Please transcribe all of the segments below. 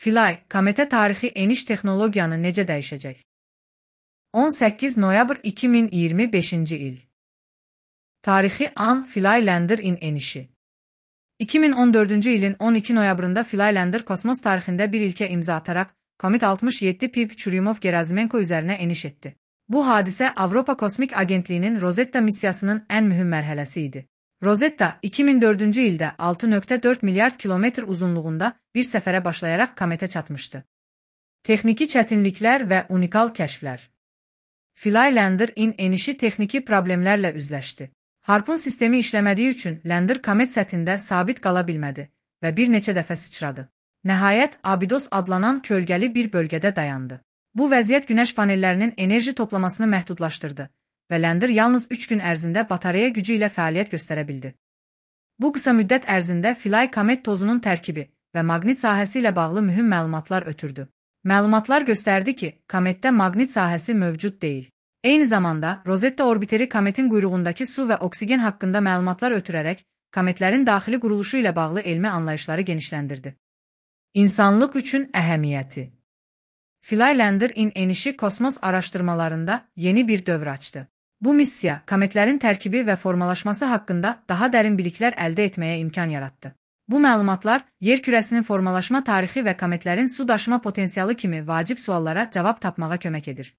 Philae, kometə tarixi eniş texnologiyanı necə dəyişəcək? 18 noyabr 2025-ci il. Tarixi an Philae Lander-in enişi. 2014-cü ilin 12 noyabrında Philae Lander kosmos tarixində bir ilkə imza ataraq Komet 67 Pip Churyumov-Gerasimenko üzərinə eniş etdi. Bu hadisə Avropa Kosmik Agentliyinin Rosetta missiyasının ən mühüm mərhələsi idi. Rosetta 2004-cü ildə 6,4 milyard kilometr uzunluğunda bir səfərə başlayaraq kometə çatmışdı. Texniki çətinliklər və unikal kəşflər. Philae Lander-in enişi texniki problemlərlə üzləşdi. Harpun sistemi işləmədiyi üçün Lander komet səthində sabit qala bilmədi və bir neçə dəfə sıçradı. Nəhayət, Abydos adlanan kölgəli bir bölgədə dayandı. Bu vəziyyət günəş panellərinin enerji toplamasını məhdudlaşdırdı və Lander yalnız 3 gün ərzində batareya gücü ilə fəaliyyət göstərə bildi. Bu qısa müddət ərzində Philae komet tozunun tərkibi və maqnit sahəsi ilə bağlı mühüm məlumatlar ötürdü. Məlumatlar göstərdi ki, kometdə maqnit sahəsi mövcud deyil. Eyni zamanda, Rosetta orbiteri kometin quyruğundakı su və oksigen haqqında məlumatlar ötürərək kometlərin daxili quruluşu ilə bağlı elmi anlayışları genişləndirdi. İnsanlıq üçün əhəmiyyəti. Philae Lander-in enişi kosmos araşdırmalarında yeni bir dövr açdı. Bu missiya, kometlərin tərkibi və formalaşması haqqında daha dərin biliklər əldə etməyə imkan yaratdı. Bu məlumatlar, yer kürəsinin formalaşma tarixi və kometlərin su daşıma potensialı kimi vacib suallara cavab tapmağa kömək edir.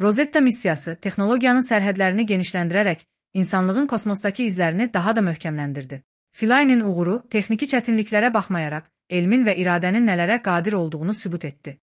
Rosetta missiyası, texnologiyanın sərhədlərini genişləndirərək, insanlığın kosmosdakı izlərini daha da möhkəmləndirdi. Philae'nin uğuru, texniki çətinliklərə baxmayaraq, elmin və iradənin nələrə qadir olduğunu sübut etdi.